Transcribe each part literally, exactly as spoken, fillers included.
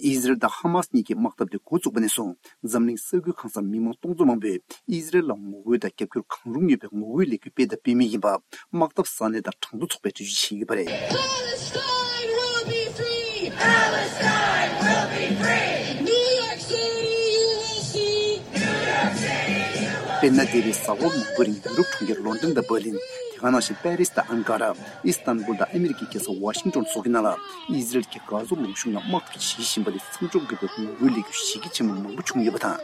ཨི་ཟི་རལ་དང་ཧ་མ་སི་གཉིས་ཀྱི་དམག་འཐབ་དེ་འགོ་བཙུགས་པ་ནས་བཟུང་འཛམ་གླིང་ས་ཁུལ་གང་སར་མི་མང་སྟོང་ཚོ་མང་པོས་ཨི་ཟི་རལ་ལ་ངོ་རྒོལ་དང་རྒྱབ་སྐྱོར་གང་རུང་ཡོད་པའི་ངོ་རྒོལ་ལས་འགུལ་སྤེལ་དང་སྤེལ་མུས་ཡིན་པ་དམག་འཐབ་ས་གནས་དང་གྲངས་ཐོ་ཚོགས་པས་འགྲེལ་བརྗོད་བྱས་ཡོད་པ་རེད། Palestine will be free. Palestine will be free. New York City, you will see. དཔེར་ན། འདས་པའི་གཟའ་འཁོར་མང་པོའི་རིང་ཡུ་རོབ་གྲོང་ཁྱེར་ལོན་ཌོན་དང་འབར་ལིན། དེ་ག་ནང་བཞིན་པེ་རིས་དང་ཨན་ཀ་ར། ཨིས་ཏན་བུལ་དང་ཨ་མི་རི་ཀའི་རྒྱལ་ས་ཝ་ཤིང་ཏོན་སོགས་ཀྱི་ནང་ལ་ཨི་ཟི་རལ་གྱིས་གྷ་ཛ་ལུང་གཤོང་ལ་དམག་འཐབ་བྱེད་བཞིན་པ་དེ་མཚམས་འཇོག་དགོས་པའི་ངོ་རྒོལ་ལས་འགུལ་གཞི་རྒྱ་ཆེན་པོ་མང་པོ་བྱུང་ཡོད་པ་དང་།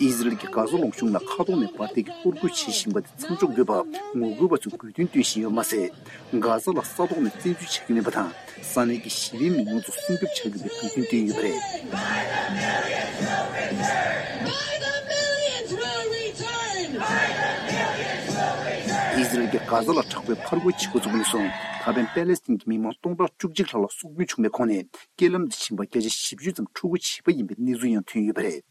ཨི་ཟི་རལ་གྱིས་གྷ་ཛ་ལུང་གཤོང་ལ་མཁའ་ཐོག་ནས་འབར་མདེལ་གྱིས་གཏོར་རྒོལ་བྱེད་བཞིན་པ་དེ་མཚམས་འཇོག་དགོས་པར་ངོ་རྒོལ་བ་ཚོས་དགོས་འདུན་བཏོན་བཞིན་ཡོད་མ་ཟད། གྷ་ཛ་ལ་ས་ཐོག་ནས་བཙན་འཛུལ་བྱ་རྒྱུ་མིན་པ་དང་། ས་གནས་ཀྱི་ཞི་བའི་མི་མང་ཚོ་སྲུང་སྐྱོབ་བྱ་དགོས་པའི་དགོས་འདུན་བཏོན་ཡོད་པ་རེད། By the millions will return. ཨི་ཟི་རལ་གྱིས་གྷ་ཛ་ལ་དྲག་པོའི་ཕར་རྒོལ་བྱེད་འགོ་ཚུགས་པ་ནས་བཟུང་ད་ཕན་པེ་ལེ་སི་ཐན་གྱི་མི་མང་སྟོང་ཕྲག་བཅུ་གཅིག་ལྷག་ལ་སྲོག་སྐྱོན་བྱུང་བའི་ཁོངས་ནས་རྐྱེན་ལམ་དུ་ཕྱིན་པ་བརྒྱ་ཆ་བཞི་བཅུ་ཙམ་འཁྲུག་རྒོལ་བྱས་པ་ཡིན་པའི་གནས་ཚུལ་ཡང་ཐོན་ཡོད་པ་རེད།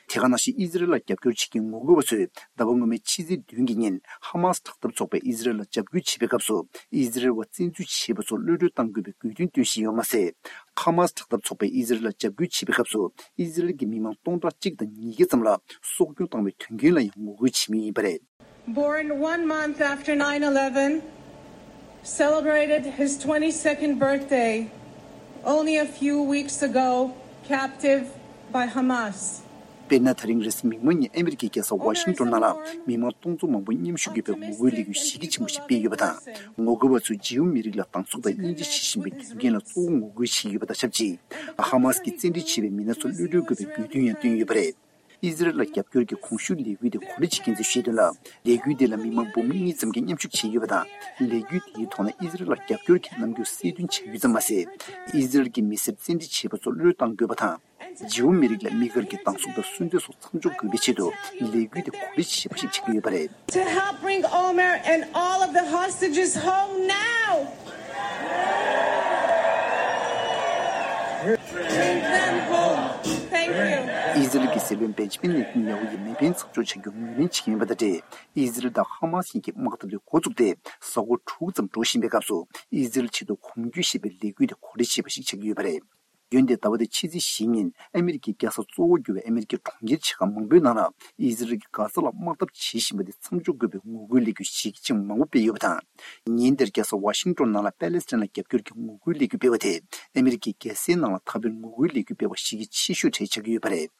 དེ་ག་ནང་བཞིན་ཨི་ཟི་རལ་ལ་རྒྱབ་སྐྱོར་བྱེད་མཁན་ངོ་རྒོལ་བ་ཚོས་ཟླ་བ་སྔོན་མའི་ཕྱི་ཚེས་བདུན་གྱི་ཉིན་ཧ་མ་སི་དྲག་འཐབ་ཚོགས་པས་ཨི་ཟི་རལ་ལ་འཇབ་རྒོལ་བྱེད་པའི་སྐབས་སུ་ཨི་ཟི་རལ་བ་བཙན་འཛུལ་བྱེད་པ་ཚོར་གློད་གྲོལ་གཏང་དགོས་པའི་དགོས་འདུན་བཏོན་བཞིན་ཡོད་མ་ཟད། ཧ་མ་སི་དྲག་འཐབ་ཚོགས་པས་ཨི་ཟི་རལ་ལ་འཇབ་རྒོལ་བྱེད་པའི་སྐབས་སུ་ཨི་ཟི་རལ་གྱི་མི་མང་སྟོང་ཕྲག་གཅིག་དང་ཉིས་བརྒྱ་ཙམ་ལ་སྲོག་སྐྱོན་བཏང་བའི་དོན་རྐྱེན་ལ་ཡང་ངོ་རྒོལ་བྱེད་མུས་ཡིན་པ་རེད། Born one month after nine eleven, celebrated his twenty-second birthday only a few weeks ago, captive by Hamas. དཔེར་ན། ད་རིང་རེས་གཟའ་མིག་དམར་ཉིན་ཨ་མི་རི་ཀའི་རྒྱལ་ས་ཝ་ཤིང་ཏོན་ནང་ལ་མི་མང་སྟོང་ཚོ་མང་པོ་མཉམ་ཞུགས་ཡོད་པའི་ངོ་རྒོལ་ལས་འགུལ་གཞི་རྒྱ་ཆེན་པོ་ཞིག་སྤེལ་ཡོད་པ་དང་། ངོ་རྒོལ་བ་ཚོས་ཇིའུ་མི་རིགས་ལ་སྡང་ཟུག་དང་དབྱེ་འབྱེད་བྱེད་བཞིན་པའི་དོན་རྐྱེན་ལ་གཙོ་བོ་ངོ་རྒོལ་བྱས་ཡོད་པ་དང་ཆབས་ཅིག་ཧ་མ་སི་གིས་བཙན་ཁྲིད་བྱས་པའི་མི་སྣ་ཚོ་གློད་གྲོལ་དགོས་པའི་དགོས་འདུན་ཡང་བཏོན་ཡོད་པ་རེད། ཨི་ཟི་རལ་ལ་རྒྱབ་སྐྱོར་གྱི་གོང་ཞུས་ལས་འགུལ་དེ་གོ་སྒྲིག་བྱེད་མཁན་ཚོས་བཤད་དོན་ལ། ལས་འགུལ་དེ་ལ་མི་མང་འབུམ་གཉིས་ཙམ་གྱིས་མཉམ་ཞུགས་བྱས་ཡོད་པ་དང་། ལས་འགུལ་དེའི་ཐོག་ནས་ཨི་ཟི་རལ་ལ་རྒྱབ་སྐྱོར་གྱི་རྣམ་འགྱུར་གསལ་སྟོན་བྱ་རྒྱུ་ཙམ་མ་ཟད། ཨི་ཟི་རལ་གྱི་མི་སེར་བཙན་ཁྲིད་བྱས་པ་ཚོར་བློས་བཏང་དགོས་པ་དང་། ཇིའུ་མི་རིགས་ལ་དམིགས་བཀར་གྱི་སྡང་ཟུག་དང་སུན་གཙེར་སོགས་མཚམས་འཇོག་དགོས་པའི་ཆེད་དུ་ལས་འགུལ་དེ་གོ་སྒྲིག་བྱས་པ་ཞིག་ཆགས་ཀྱི་ཡོད་པ་རེད། To help bring Omer and all of the hostages home now. Bring them home. Thank you. ཨི་ཟི་རལ་གྱི་སྲིད་བློན་བེན་ཇི་མིན་ནེ་ཐན་ཡ་ཧུ་ཡིས་མེ་འཕེན་མཚམས་འཇོག་བྱ་རྒྱུར་ངོས་ལེན་བྱེད་ཀྱི་ཡིན་པ་དང་འབྲེལ། ཨི་ཟི་རལ་དང་ཧ་མ་སི་གཉིས་ཀྱི་དམག་འཐབ་དེ་འགོ་བཙུགས་ཏེ་གཟའ་འཁོར་དྲུག་ཙམ་འགྲོ་བཞིན་པའི་སྐབས་སུ་ཨི་ཟི་རལ་ཆེད་དུ་གོམ་བགྲོད་ཞེས་པའི་ལས་འགུལ་དེ་གོ་སྒྲིག་བྱས་པ་ཞིག་ཆགས་ཀྱི་ཡོད་པ་རེད། འོན་ཏེ་ཟླ་བ་འདིའི་ཕྱི་ཚེས་བཞི་ཉིན་ཨ་མི་རི་ཀའི་རྒྱལ་ས་གཙོ་བོར་གྱུར་བའི་ཨ་མི་རི་ཀའི་གྲོང་ཁྱེར་ཆེ་ཁག་མང་པོའི་ནང་ལ་ཨི་ཟི་རལ་གྱིས་གྷ་ཛ་ལ་དམག་འཐབ་བྱེད་བཞིན་པ་དེ་མཚམས་འཇོག་དགོས་པའི་ངོ་རྒོལ་ལས་འགུལ་གཞི་རྒྱ་ཆེན་པོ་མང་པོ་སྤེལ་ཡོད་པ་དང་། ཉིན་དེར་རྒྱལ་ས་ཝ་ཤིང་ཏོན་ནང་ལ་པེ་ལེ་སི་ཐན་ལ་རྒྱབ་སྐྱོར་གྱི་ངོ་རྒོལ་ལས་འགུལ་སྤེལ་བ་དེ་ཨ་མི་རི་ཀའི་རྒྱལ་སའི་ནང་ལ་ད་ཕན་ངོ་རྒོལ་ལས་འགུལ་སྤེལ་བ་གཞི་རྒྱ་ཆེ་ཤོས་གྲས་ཆགས་ཀྱི་ཡོད་པ་རེད།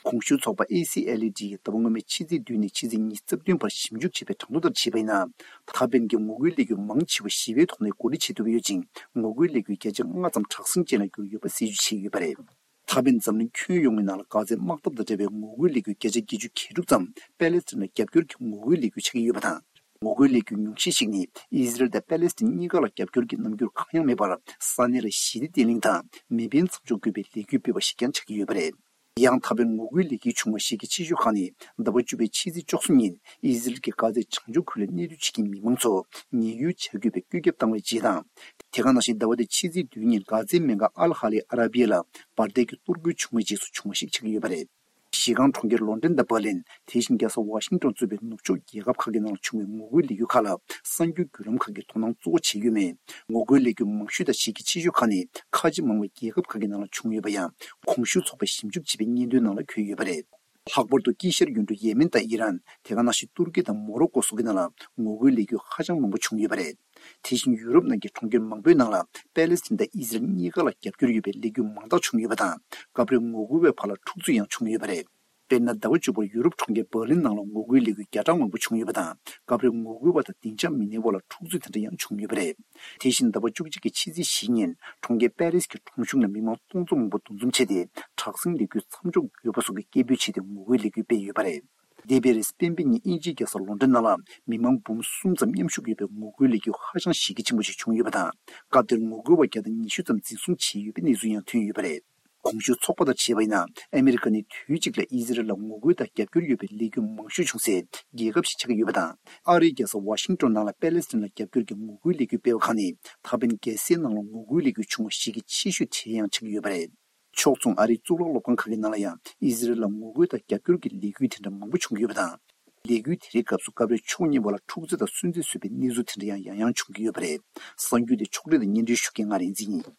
གོང་ཞུས་ཚོགས་པ་ཨེ་སི་ཨེལ་ཨེ་ཌི་ཡིས་ཟླ་བ་སྔོན་མའི་ཕྱི་ཚེས་བདུན་ནས་ཕྱི་ཚེས་ཉི་ཤུ་རྩ་བདུན་བར་ཞིབ་འཇུག་བྱས་པའི་གྲངས་ཐོ་ལྟར་བྱས་པ་ཡིན་ན། ད་ཕན་གྱི་ངོ་རྒོལ་ལས་འགུལ་མང་ཆེ་བ་ཞི་བའི་ཐོག་ནས་གོ་སྒྲིག་བྱེད་ཐུབ་ཡོད་ཅིང་། ངོ་རྒོལ་ལས་འགུལ་བརྒྱ་ཆ་ལྔ་ཙམ་དྲག་ཟིང་ཅན་ལ་གྱུར་ཡོད་པ་གསལ་བརྗོད་བྱས་ཡོད་པ་རེད། ད་ཕན་འཛམ་གླིང་ཁྱོན་ཡོངས་ཀྱི་ནང་ལ་གྷ་ཛའི་དམག་འཐབ་དང་འབྲེལ་བའི་ངོ་རྒོལ་ལས་འགུལ་བརྒྱ་ཆ་བརྒྱད་ཅུ་གྱ་དྲུག་ཙམ་པེ་ལེ་སི་ཐན་ལ་རྒྱབ་སྐྱོར་གྱི་ངོ་རྒོལ་ལས་འགུལ་ཆགས་ཀྱི་ཡོད་པ་དང་། ངོ་རྒོལ་ལས་འགུལ་ཉུང་ཤས་ཤིག་ནི་ཨི་ཟི་རལ་དང་པེ་ལེ་སི་ཐན་གཉིས་ཀ་ལ་རྒྱབ་སྐྱོར་གྱི་རྣམ་འགྱུར་གང་ཡང་མེད་པར། ས་གནས་ལ་ཞི་བདེ་བརྟན་ལྷིང་དང་མེ་འཕེན་མཚམས་འཇོག་དགོས་པའི་ལས་འགུལ་སྤེལ་བ་ཞིག་ཀྱང་ཆགས་ཀྱི་ཡོད་པ་རེད། ཡང་ད་ཕན་ངོ་རྒོལ་ལས་འགུལ་བྱུང་བ་ཞིག་གི་ཆེ་ཤོས་ཁག་ནི་ཟླ་བ་བཅུ་པའི་ཕྱི་ཚེས་བཅུ་གསུམ་ཉིན་ཨི་ཟི་རལ་གྱིས་གྷ་ཛའི་བྱང་ཕྱོགས་ཁུལ་ལ་གནས་སྡོད་བྱེད་མཁན་མི་མང་ཚོ་ཉེན་གཡོལ་བྱ་དགོས་པའི་བཀོད་ཁྱབ་བཏང་བའི་རྗེས་དང་། དེ་ག་ནང་བཞིན་ཟླ་བ་འདིའི་ཕྱི་ཚེས་བདུན་ཉིན་གྷ་ཛའི་སྨན་ཁང་ཨལ་ཧ་ལི་ཨ་ར་བི་ཡ་ལ་འབར་མདེལ་གྱི་གཏོར་རྒོལ་བྱུང་བའི་རྗེས་སུ་བྱུང་བ་ཞིག་ཆགས་ཀྱི་ཡོད་པ་རེད། གཞི་རྐང་གྲོང་ཁྱེར་ལོན་ཌོན་དང་འབར་ལིན། དེ་བཞིན་རྒྱལ་ས་ཝ་ཤིང་ཏོན་གཙོས་པའི་ནུབ་ཕྱོགས་རྒྱལ་ཁབ་ཁག་གི་ནང་ལ་བྱུང་བའི་ངོ་རྒོལ་ལས་འགུལ་ཁག་ལ་གསར་འགྱུར་བརྒྱུད་ལམ་ཁག་གིས་དོ་སྣང་གཙོ་བོ་བྱེད་ཀྱི་ཡོད་མེད། ངོ་རྒོལ་ལས་འགུལ་མང་ཤོས་དང་གཞི་རྒྱ་ཆེ་ཤོས་ཁག་ནི་ཁ་ཆེ་མང་བའི་རྒྱལ་ཁབ་ཁག་གི་ནང་ལ་བྱུང་ཡོད་པ་ཡང་གོང་ཞུས་ཚོགས་པས་ཞིབ་འཇུག་བྱས་པའི་སྙན་ཐོའི་ནང་ལ་འཁོད་ཡོད་པ་རེད། ལྷག་པར་དུ་དཀྱིལ་ཤར་ཡུལ་གྲུ་ཡེ་མེན་དང་ཨི་རན། དེ་ག་ནང་བཞིན་ཏུར་ཀི་དང་མོ་རོ་ཀོ་སོགས་ཀྱི་ནང་ལ་ངོ་རྒོལ་ལས་འགུལ་ཧ་ཅང་མང་པོ་བྱུང་ཡོད་པ་རེད། དེ་བཞིན་ཡུ་རོབ་ནང་གི་གྲོང་ཁྱེར་མང་པོའི་ནང་ལ་པེ་ལེ་སི་ཐན་དང་ཨི་ཟི་རལ་གཉིས་ཀ་ལ་རྒྱབ་སྐྱོར་ཡོད་པའི་ལས་འགུལ་མང་དག་བྱུང་ཡོད་པ་དང་། སྐབས་རེ་ངོ་རྒོལ་བའི་བར་ལ་འཁྲུག་རྩོད་ཡང་བྱུང་ཡོད་པ་རེད། དཔེར་ན། ཟླ་བ་བཅུ་པར་ཡུ་རོབ་གྲོང་ཁྱེར་འབར་ལིན་ནང་ལ་ངོ་རྒོལ་ལས་འགུལ་བརྒྱ་ཕྲག་མང་པོ་བྱུང་ཡོད་པ་དང་། སྐབས་རེ་ངོ་རྒོལ་བ་དང་སྡིངས་ཆ་མི་སྣའི་དབར་ལ་འཁྲུག་རྩོད་དེ་འདྲ་ཡང་བྱུང་ཡོད་པ་རེད། དེ་བཞིན་ཟླ་བ་བཅུ་གཅིག་གི་ཕྱི་ཚེས་བཞི་ཉིན་གྲོང་ཁྱེར་པེ་རིས་ཀྱི་ཁྲོམ་གཞུང་ལ་མི་མང་སྟོང་ཚོ་མང་པོ་འདུ་འཛོམས་བྱས་ཏེ། དྲག་ཟིང་ལས་འགུལ་མཚམས་འཇོག་དགོས་པ་སོགས་ཀྱི་སྐད་འབོད་བྱས་ཏེ་ངོ་རྒོལ་ལས་འགུལ་སྤེལ་ཡོད་པ་རེད། འདས་པའི་རེས་གཟའ་སྤེན་པའི་ཉིན་དབྱིན་ཇིའི་རྒྱལ་ས་ལོན་ཌོན་ནང་ལ་མི་མང་འབུམ་གསུམ་ཙམ་མཉམ་ཞུགས་ཡོད་པའི་ངོ་རྒོལ་ལས་འགུལ་ཧ་ཅང་གཞི་རྒྱ་ཆེན་པོ་ཞིག་བྱུང་ཡོད་པ་དང་། སྐབས་དེར་ངོ་རྒོལ་བ་བརྒྱ་དང་ཉི་ཤུ་ཙམ་འཛིན་བཟུང་བྱས་ཡོད་པའི་གནས་ཚུལ་ཡང་ཐོན་ཡོད་པ་རེད། གོང་ཞུས་ཚོགས་པ་དང་བྱས་པ་ཡིན་ན། ཨ་མི་རི་ཀ་ནི་དུས་གཅིག་ལ་ཨི་ཟི་རལ་ལ་ངོ་རྒོལ་དང་རྒྱབ་སྐྱོར་ཡོད་པའི་ལས་འགུལ་མང་ཤོས་བྱུང་སའི་རྒྱལ་ཁབ་ཞིག་ཆགས་ཀྱི་ཡོད་པ་དང་། ཨ་རིའི་རྒྱལ་ས་ཝ་ཤིང་ཏོན་ནང་ལ་པེ་ལེ་སི་ཐན་ལ་རྒྱབ་སྐྱོར་གྱི་ངོ་རྒོལ་ལས་འགུལ་སྤེལ་བ་ཁག་ནི་ད་ཕན་རྒྱལ་སའི་ནང་ལ་ངོ་རྒོལ་ལས་འགུལ་བྱུང་བ་ཞིག་གི་ཆེ་ཤོས་གྲས་ཡང་ཆགས་ཀྱི་ཡོད་པ་རེད། ཕྱོགས་མཚུངས་ཨ་རིའི་གཙུག་ལག་སློབ་ཁང་ཁག་གི་ནང་ལ་ཡང་ཨི་ཟི་རལ་ལ་ངོ་རྒོལ་དང་རྒྱབ་སྐྱོར་གྱི་ལས་འགུལ་དེ་འདྲ་མང་པོ་བྱུང་གི་ཡོད་པ་དང་། ལས་འགུལ་དེ་རིགས་སྐབས་སུ་སྐབས་རེ་ཕྱོགས་གཉིས་བར་ལ་འཁྲུག་རྩོད་དང་སུན་གཙེར་བཟོས་པའི་གནས་ཚུལ་དེ་འདྲ་ཡང་ཡང་ཡང་བྱུང་གི་ཡོད་པ་རེད། གསར་འགྱུར་དེ་ཕྱོགས་སྒྲིག་དང་སྙན་སྒྲོན་ཞུ་མཁན་ང་རིག་འཛིན་ཡིན།